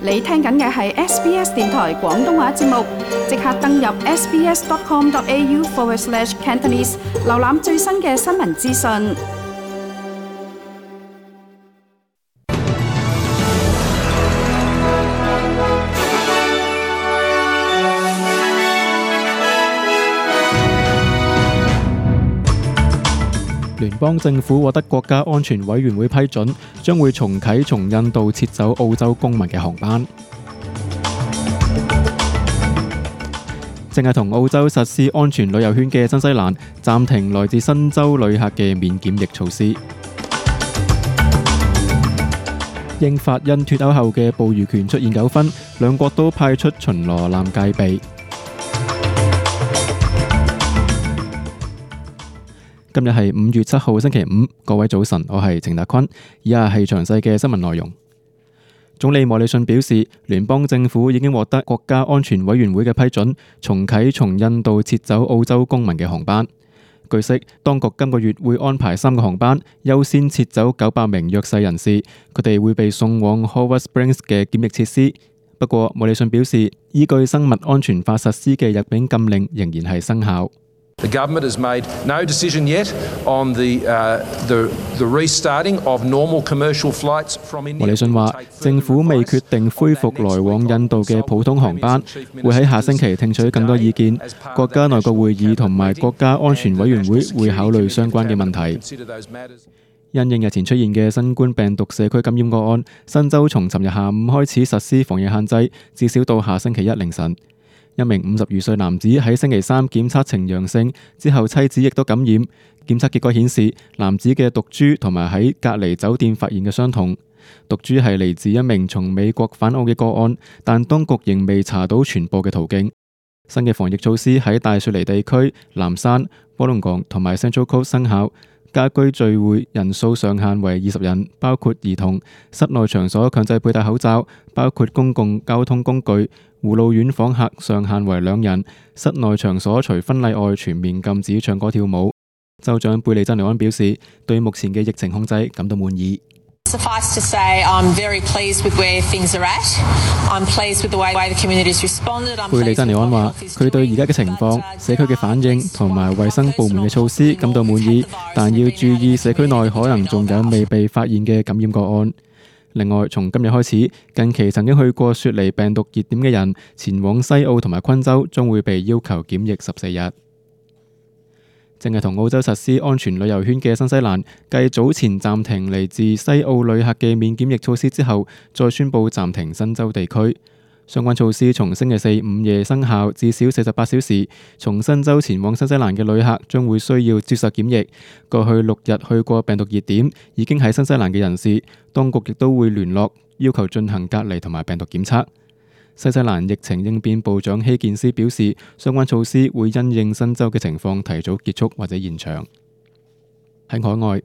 你聽緊嘅係 SBS 電台廣東話節目，即刻登入 sbs.com.au/Cantonese 瀏覽最新嘅新聞資訊。聯邦政府獲得國家安全委員會批准，將會重啟從印度撤走澳洲公民嘅航班。正係同澳洲實施安全旅遊圈嘅新西蘭，暫停來自新州旅客嘅免檢疫措施。英法因脫歐後嘅捕魚權出現糾紛，兩國都派出巡邏艦戒備。今日係5月7號星期五，各位早晨，我係程達坤。以下係詳細嘅新聞內容。總理莫里遜表示，聯邦政府已經獲得國家安全委員會嘅批准，重啟從印度撤走澳洲公民嘅航班。據悉，當局今個月會安排3個航班，優先撤走900名弱勢人士，佢哋會被送往 Howard Springs 嘅檢疫設施。不過，莫里遜表示，依據生物安全法實施嘅入境禁令仍然係生效。The government has made no decision yet on the restarting of normal commercial flights from India. 莫里遜話，政府未決定恢復來往印度嘅普通航班，會喺下星期聽取更多意見。國家內閣會議同埋國家安全委員會會考慮相關嘅問題。因應日前出現嘅新冠病毒社區感染個案，新州從尋日下午開始實施防疫限制，至少到下星期一凌晨。一名52歲男子喺星期3檢測呈陽性，之後妻子亦都感染。檢測結果顯示，男子嘅毒株同埋喺隔離酒店發現嘅相同。毒株係嚟自一名從美國返澳嘅個案，但當局仍未查到傳播嘅途徑。新嘅防疫措施喺大雪梨地區、南山、波隆港同埋 Central Coast 生效。家居聚會人數上限為20人，包括兒童。室內場所強制佩戴口罩，包括公共交通工具。護老院訪客上限為2人。室內場所除婚禮外全面禁止唱歌跳舞。州長貝利珍尼安表示，對目前嘅疫情控制感到滿意。Suffice to say, I'm very pleased with where things are at. I'm pleased with the way the community's responded. 貝利珍尼安話，佢對而家嘅情況、社區嘅反應同埋衛生部門嘅措施感到滿意，但要注意社區內可能仲有未被發現嘅感染個案。另外，從今日開始，近期曾經去過雪梨病毒熱點嘅人，前往西澳同埋昆州將會被要求檢疫14日。正係同澳洲實施安全旅遊圈嘅新西蘭，繼早前暫停嚟自西澳旅客嘅免檢疫措施之後，再宣布暫停新州地區。相關措施從星期4午夜生效，至少48小時。從新州前往新西蘭嘅旅客將會需要接受檢疫。過去6日去過病毒熱點已經喺新西蘭嘅人士，當局亦都會聯絡要求進行隔離同埋病毒檢測。新西蘭疫情應變部長希健斯表示，相關措施會因應新州嘅情況提早結束或者延長。喺海外，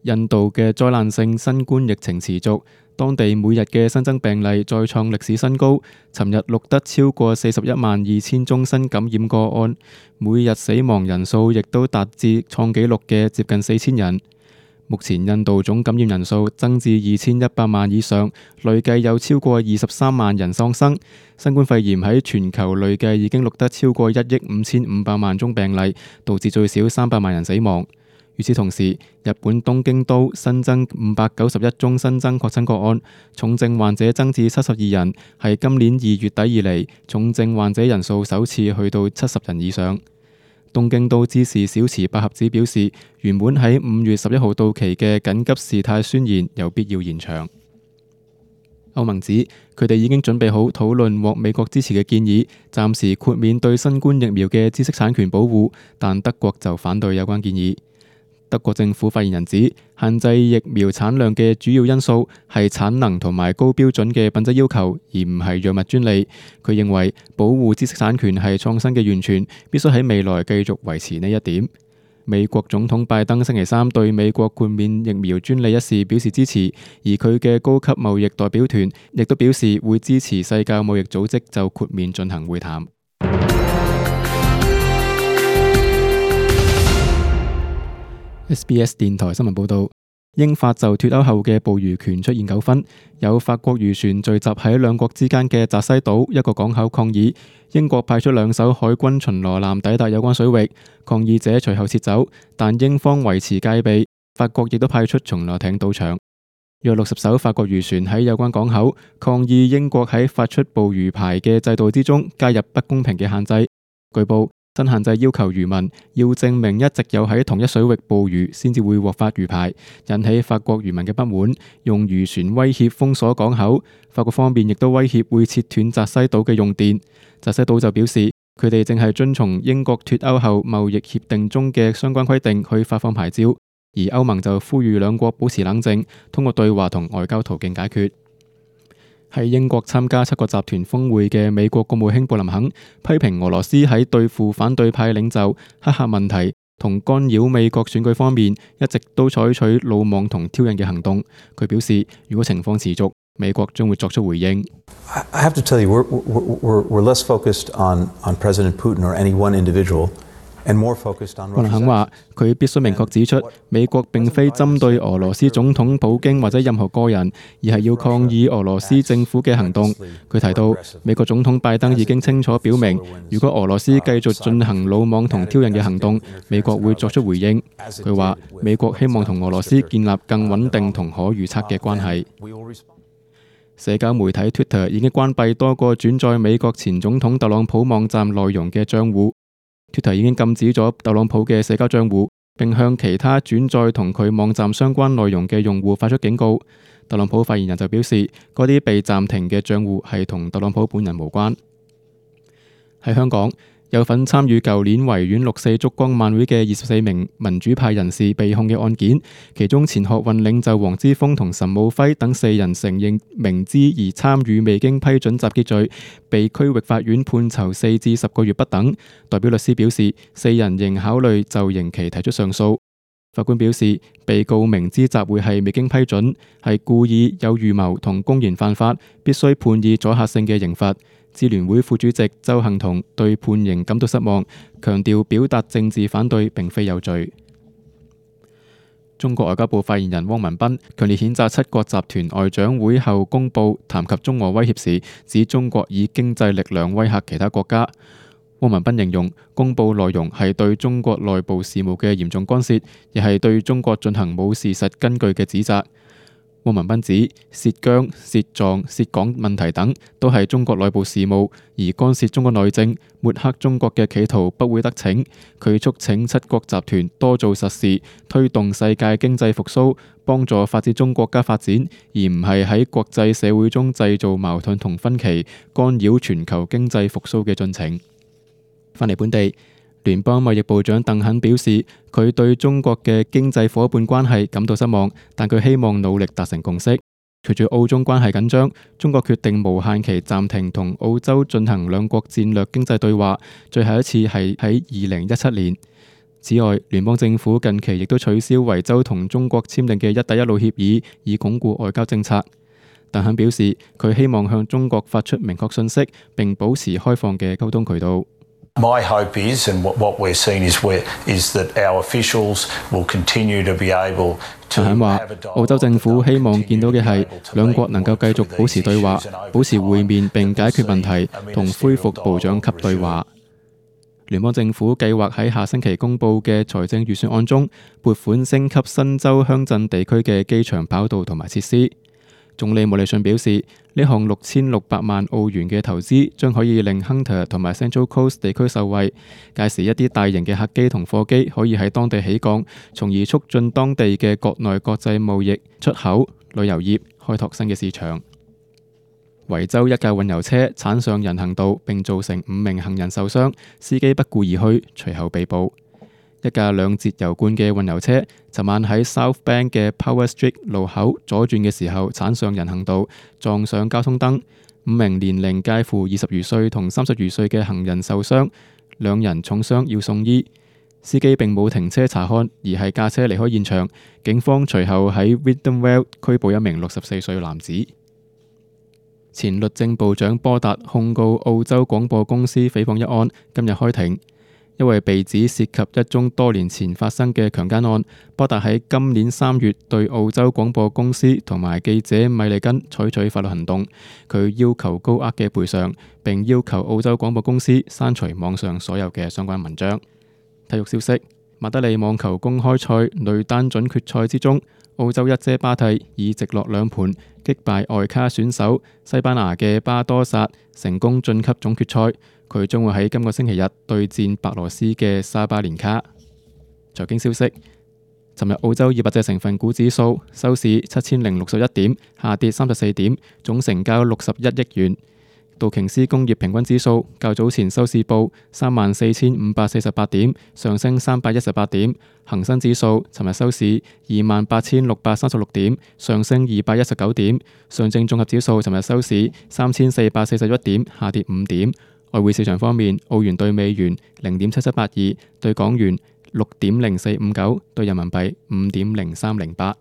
印度嘅災難性新冠疫情持續，當地每日嘅新增病例再創歷史新高。尋日錄得超過412000宗新感染個案，每日死亡人數亦都達至創紀錄嘅接近4000人。目前印度總感染人數增至2100萬以上，累計有超過23萬人喪生。新冠肺炎喺全球累計已經錄得超過1億5500萬宗病例，導致最少300萬人死亡。與此同時，日本東京都新增591宗新增確診個案，重症患者增至72人，係今年2月底以嚟重症患者人數首次去到70人以上。東京都知事小池百合子表示，原本喺5月11號到期嘅緊急事態宣言有必要延長。歐盟指佢哋已經準備好討論獲美國支持嘅建議，暫時豁免對新冠疫苗嘅知識產權保護，但德國就反對有關建議。德國政府發言人指，限制疫苗產量嘅主要因素係產能同埋高標準嘅品質要求，而唔係藥物專利。佢認為保護知識產權係創新嘅源泉，必須喺未來繼續維持呢一點。美國總統拜登星期3對美國豁免疫苗專利一事表示支持，而佢嘅高級貿易代表團亦都表示會支持世界貿易組織就豁免進行會談。SBS 電台新聞報道，英法就脫歐後嘅捕魚權出現糾紛，有法國漁船聚集喺兩國之間嘅澤西島一個港口抗議，英國派出2艘海軍巡邏艦抵達有關水域，抗議者隨後撤走，但英方維持戒備，法國亦都派出巡邏艇到場。約60艘法國漁船喺有關港口抗議英國喺發出捕魚牌嘅制度之中加入不公平嘅限制。據報，新限制要求漁民要證明一直有喺同一水域捕魚先至會獲發魚牌，引起法國漁民嘅不滿，用漁船威脅封鎖港口。法國方面亦都威脅會切斷澤西島嘅用電。澤西島就表示，佢哋正係遵從英國脫歐後貿易協定中嘅相關規定去發放牌照，而歐盟就呼籲兩國保持冷靜，通過對話同外交途徑解決。喺英國參加7國集團峰會嘅美國國務卿布林肯批評俄羅斯喺對付反對派領袖、黑客問題同干擾美國選舉方面一直都採取魯莽同挑釁嘅行動。佢表示，如果情況持續，美國將會作出回應。I have to tell you, we're less focused on President Putin or any one individual. 布林肯話：佢必須明確指出，美國並非針對俄羅斯總統普京或者任何個人，而係要抗議俄羅斯政府嘅行動。佢提到，美國總統拜登已經清楚表明，如果俄羅斯繼續進行魯莽同挑釁嘅行動，美國會作出回應。佢話：美國希望同俄羅斯建立更穩定同可預測嘅關係。社交媒體 Twitter 已經關閉多個轉載美國前總統特朗普網站內容嘅賬戶。Twitter 已經禁止咗特朗普嘅社交賬戶，並向其他轉載同佢網站相關內容嘅用戶發出警告。特朗普發言人就表示，嗰啲被暫停嘅賬戶係同特朗普本人無關。喺香港，有份參與舊年維園6·4燭光晚會嘅24名民主派人士被控嘅案件，其中前學運領袖黃之鋒同岑敖暉等4人承認明知而參與未經批准集結罪，被區域法院判囚4至10個月不等。代表律師表示，4人仍考慮就刑期提出上訴。法官表示，被告明知集會係未經批准，係故意有預謀同公然犯法，必須判以阻嚇性嘅刑罰。支聯會副主席鄒幸彤對判刑感到失望，強調表達政治反對並非有罪。中國外交部發言人汪文斌強烈譴責7國集團外長會後公佈談及中俄威脅時，指中國以經濟力量威嚇其他國家。汪文斌形容公佈內容係對中國內部事務嘅嚴重干涉，亦係對中國進行冇事實根據嘅指責。汪文斌指涉疆、涉藏、涉港問題等都係中國內部事務，而干涉中國內政、抹黑中國嘅企圖不會得逞。佢促請7國集團多做實事，推動世界經濟復甦，幫助發展中國家發展，而唔係喺國際社會中製造矛盾同分歧，干擾全球經濟復甦嘅進程。返嚟本地，聯邦貿易部長鄧肯表示，佢對中國嘅經濟夥伴關係感到失望，但佢希望努力達成共識。隨住澳中關係緊張，中國決定無限期暫停同澳洲進行兩國戰略經濟對話，最後一次係喺2017年。此外，聯邦政府近期亦都取消維州同中國簽訂嘅一帶一路協議，以鞏固外交政策。鄧肯表示，佢希望向中國發出明確信息，並保持開放嘅溝通渠道。My hope is, and what we're seeing is that our officials will continue to be able to have a dialogue. 澳洲政府希望見到嘅係兩國能夠繼續保持對話，保持會面並解決問題，同恢復部長級對話。聯邦政府計劃喺下星期公佈嘅財政預算案中，撥款升級新州鄉鎮地區嘅機場跑道同埋設施。總理莫里遜表示，呢項6600萬澳元嘅投資將可以令 Hunter 同埋 Central Coast 地區受惠，屆時一啲大型嘅客機同貨機可以喺當地起降，從而促進當地嘅國內國際貿易、出口、旅遊業，開拓新嘅市場。維州一架運油車鏟上人行道並造成5名行人受傷，司機不顧而去，隨後被捕。一架2節油罐嘅運油車，尋晚喺 South Bank 嘅 Power Street 路口左轉嘅時候鏟上人行道，撞上交通燈。5名年齡介乎20餘歲同30餘歲嘅行人受傷，2人重傷要送醫。司機並冇停車查看，而係駕車離開現場。警方隨後喺 Wyndhamvale 拘捕1名64歲男子。前律政部長波達控告澳洲廣播公司誹謗一案，今日開庭。因為被指涉及一宗多年前發生嘅強姦案，波達喺今年3月對澳洲廣播公司同埋記者米利根採取法律行動。佢要求高額嘅賠償，並要求澳洲廣播公司刪除網上所有嘅相關文章。體育消息：馬德里網球公開賽女單準決賽之中，澳洲一姐巴蒂以直落2盤擊敗外卡選手西班牙嘅巴多薩，成功晉級總決賽。佢將會喺今個星期日對戰白羅斯嘅沙巴連卡。財經消息：尋日澳洲200隻成分股指數收市7061點，下跌34點，總成交61億元。道瓊斯工業平均指數較早前收市報34,548點，上升318點。恒生指數尋日收市28,636點，上升219點。上證綜合指數尋日收市3,441點，下跌5點。外匯市場方面，澳元對美元0.7782，對港元6.0459，對人民幣5.0308。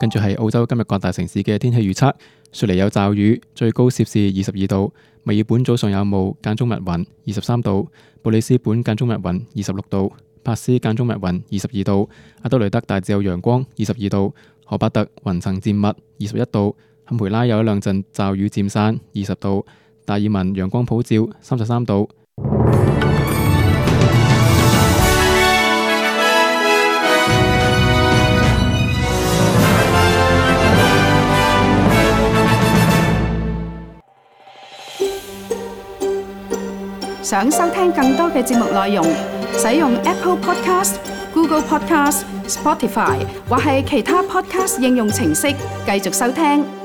跟住係澳洲今日各大城市嘅天氣預測：雪梨有驟雨，最高攝氏22度；墨爾本早上有霧，間中密雲，23度；布里斯本間中密雲，26度；珀斯間中密雲，22度；阿德雷德大致有陽光，22度；荷巴特雲層漸密，21度；坎培拉有一兩陣驟雨漸散，20度；達爾文陽光普照，33度。想收聽更多嘅節目內容，使用 Apple Podcast、Google Podcast、Spotify 或係其他 Podcast 應用程式繼續收聽。